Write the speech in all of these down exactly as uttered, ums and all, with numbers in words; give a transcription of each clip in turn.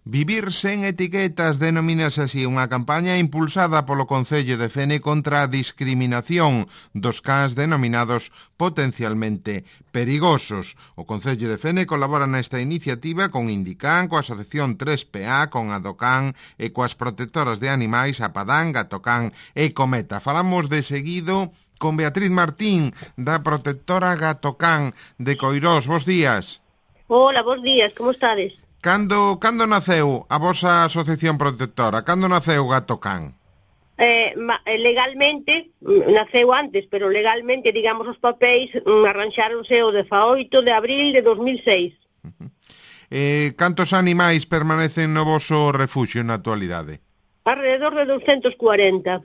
Vivir sen etiquetas denomínase así unha campaña impulsada polo Concello de Fene contra a discriminación dos cans denominados potencialmente perigosos. O Concello de Fene colabora nesta iniciativa con Indican, coa Asociación tres P A, con Adocan e coas protectoras de animais Apadán, Gatocán e Cometa. Falamos de seguido con Beatriz Martín, da protectora Gatocán de Coirós. Bos días. Hola, bos días, como estades? Cando, cando naceu a vosa asociación protectora? Cando naceu Gatocán? Eh, legalmente, naceu antes, pero legalmente, digamos, os papéis mm, arranxáronse o dezaoito de abril de dos mil seis. Uh-huh. Eh, cantos animais permanecen no voso refuxio na actualidade? Alrededor de doscientos cuarenta.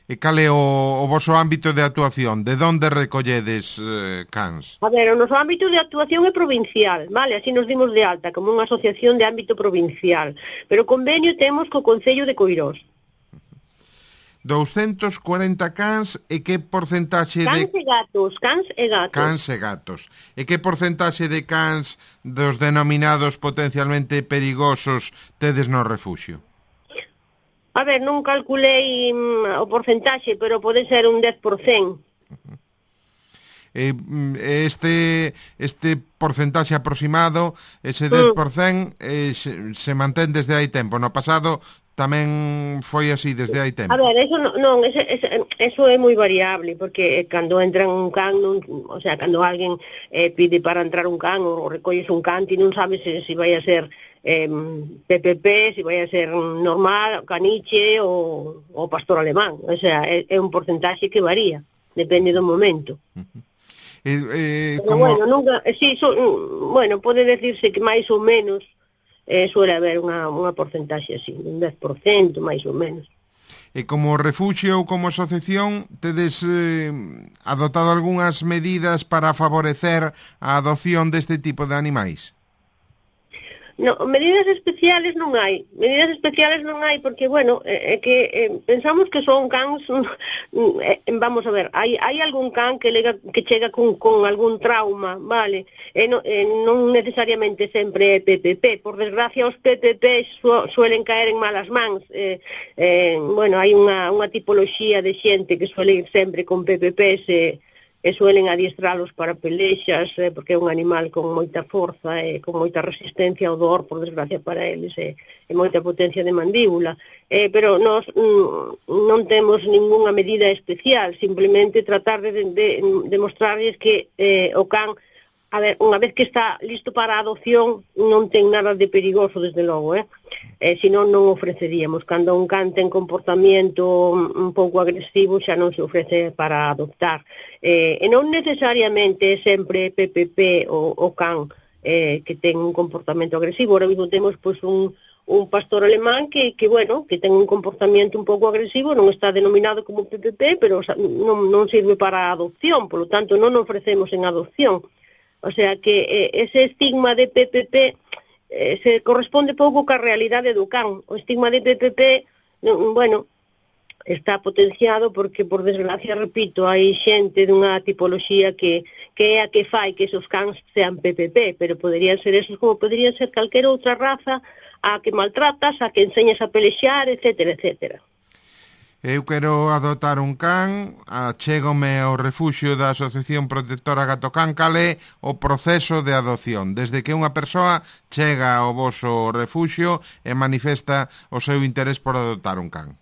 E cal é o, o voso ámbito de actuación? De onde recolledes eh, cans? A ver, o noso ámbito de actuación é provincial, vale? Así nos dimos de alta, como unha asociación de ámbito provincial. Pero convenio temos co Concello de Coirós. doscientos cuarenta cans e que porcentaxe de... Cans e gatos, cans e gatos. Cans e gatos. E que porcentaxe de cans dos denominados potencialmente perigosos tedes no refuxio? A ver, non calculei mm, o porcentaxe, pero pode ser un dez por cento. Uh-huh. Este este porcentaxe aproximado, ese dez por cento, eh, se, se mantén desde hai tempo. No pasado tamén foi así desde hai tempo. A ver, eso non, non ese, ese, eso é moi variable, porque cando entra un can, non, o sea, cando alguén eh, pide para entrar un can ou recolles un can, ti non sabes se, se vai a ser eh, P P P, se vai a ser normal, caniche ou, ou pastor alemán. O sea, é, é un porcentaxe que varía, depende do momento. Uh-huh. Eh, eh, Pero como... bueno, nunca, sí, so, bueno, pode decirse que máis ou menos eh, suele haber unha, unha porcentaxe así, un dez por cento máis ou menos. E como refuxio ou como asociación, tedes eh, adoptado algunhas medidas para favorecer a adopción deste tipo de animais? No, medidas especiales non hai, medidas especiales non hai porque, bueno, é eh, que eh, pensamos que son cans, eh, vamos a ver, hai, hai algún can que, lega, que chega con, con algún trauma, vale, e no, eh, non necesariamente sempre é P P P, por desgracia os P P P su, suelen caer en malas mans, eh, eh, bueno, hai unha, unha tipoloxía de xente que suele ir sempre con P P Ps e e suelen adiestralos para pelexas, eh, porque é un animal con moita forza e con moita resistencia ao dor, por desgracia para eles, e, e moita potencia de mandíbula. Eh, pero nós mm, non temos ningunha medida especial, simplemente tratar de, de, de demostrarles que eh, o can, a ver, unha vez que está listo para a adopción, non ten nada de perigoso, desde logo, eh? Eh, senón non ofreceríamos. Cando un can ten comportamento un pouco agresivo, xa non se ofrece para adoptar. Eh, e non necesariamente sempre P P P o, o can eh, que ten un comportamento agresivo. Ahora mismo temos pois, un, un pastor alemán que, que, bueno, que ten un comportamento un pouco agresivo, non está denominado como P P P, pero non, non sirve para a adopción, polo tanto non ofrecemos en adopción. O sea que eh, ese estigma de P P P eh, se corresponde pouco ca realidade do can. O estigma de P P P, no, bueno, está potenciado porque, por desgracia, repito, hai xente dunha tipoloxía que, que é a que fai que esos cans sean P P P, pero poderían ser esos como poderían ser calquera outra raza a que maltratas, a que enseñas a pelexar, etcétera, etcétera. Eu quero adotar un can, achégome ao refuxio da Asociación Protectora Gatocán. Cal é o proceso de adopción? Desde que unha persoa chega ao voso refuxio e manifesta o seu interés por adotar un can.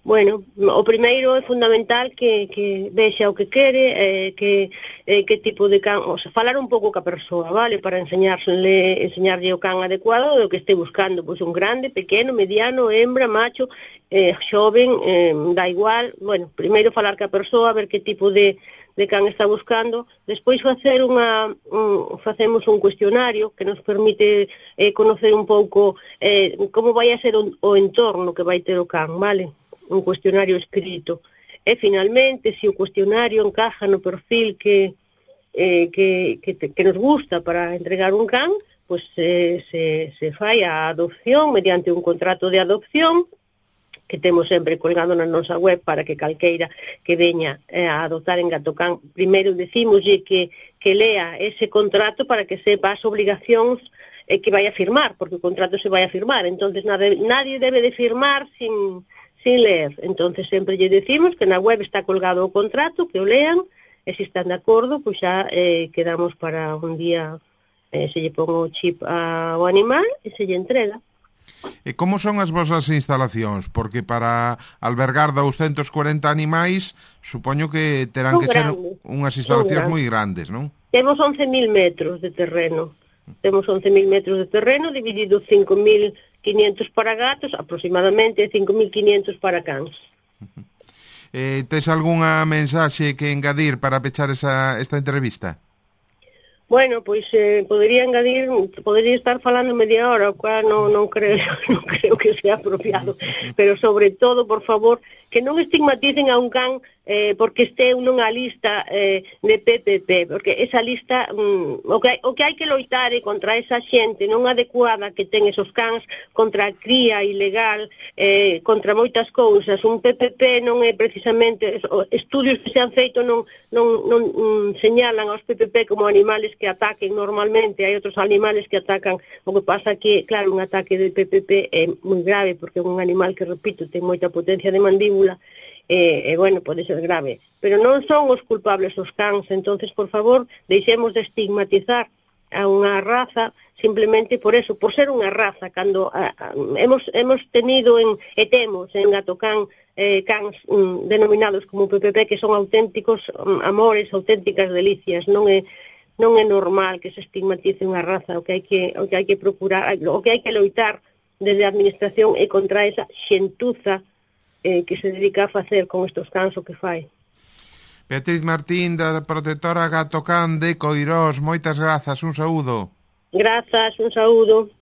Bueno, o primeiro é fundamental que, que vexa o que quere, eh, que, eh, que tipo de can, o sea, falar un pouco ca persoa, vale, para enseñarle, enseñarlle o can adecuado do que este buscando, pois un grande, pequeno, mediano, hembra, macho, eh, xoven, eh, da igual. Bueno, primeiro falar ca persoa, ver que tipo de, de can está buscando, despois facer unha, un, facemos un cuestionario que nos permite eh, conocer un pouco eh, como vai a ser o, o entorno que vai ter o can, vale? Un cuestionario escrito. E, finalmente, se o cuestionario encaja no perfil que, eh, que, que, que nos gusta para entregar un can, pois eh, se, se fai a adopción mediante un contrato de adopción que temos sempre colgado na nosa web para que calqueira que veña eh, a adoptar en Gatocán, primeiro decímoslle que, que lea ese contrato para que sepa as obligacións eh, que vai a firmar, porque o contrato se vai a firmar, entonces nadie, nadie debe de firmar sin, sin leer. Entonces sempre lle decimos que na web está colgado o contrato, que o lean, e se están de acordo, pois xa eh, quedamos para un día, eh, se lle pon o chip ao animal e se lle entrega. E como son as vosas instalacións? Porque para albergar douscentos corenta animais, supoño que terán Son que ser grandes, unhas instalacións grandes. moi grandes, non? Temos once mil metros de terreno. Temos once mil metros de terreno, dividido cinco mil quinientos para gatos, aproximadamente cinco mil quinientos para cans. Eh, tes algunha mensaxe que engadir para pechar esa, esta entrevista? Bueno, pois eh, podería engadir, podería estar falando media hora, o cual non, non, creo, non creo que sea apropiado, pero sobre todo, por favor, que non estigmaticen a un can eh, porque este nunha lista eh, de P P P, porque esa lista, mm, o, que, o que hai que loitar é contra esa xente non adecuada que ten esos cans, contra a cría ilegal, eh, contra moitas cousas. Un P P P non é precisamente, estudios que se han feito non, non, non mm, señalan aos P P P como animales que ataquen normalmente, hai outros animales que atacan, o que pasa que, claro, un ataque de P P P é moi grave, porque é un animal que, repito, ten moita potencia de mandíbula, e, e bueno, pode ser grave, pero non son os culpables os cans. Entonces, por favor, deixemos de estigmatizar a unha raza simplemente por eso, por ser unha raza, cando a, a, hemos, hemos tenido en, e temos en Gatocán eh, cans mm, denominados como P P P que son auténticos mm, amores, auténticas delicias. Non é non é normal que se estigmatice unha raza. O que hai que, o que hai que procurar, o que hai que loitar desde a administración é contra esa xentuza eh, que se dedica a facer con estos cans o que fai. Beatriz Martín, da Protectora Gatocán de Coirós, moitas grazas, un saúdo. Grazas, un saúdo.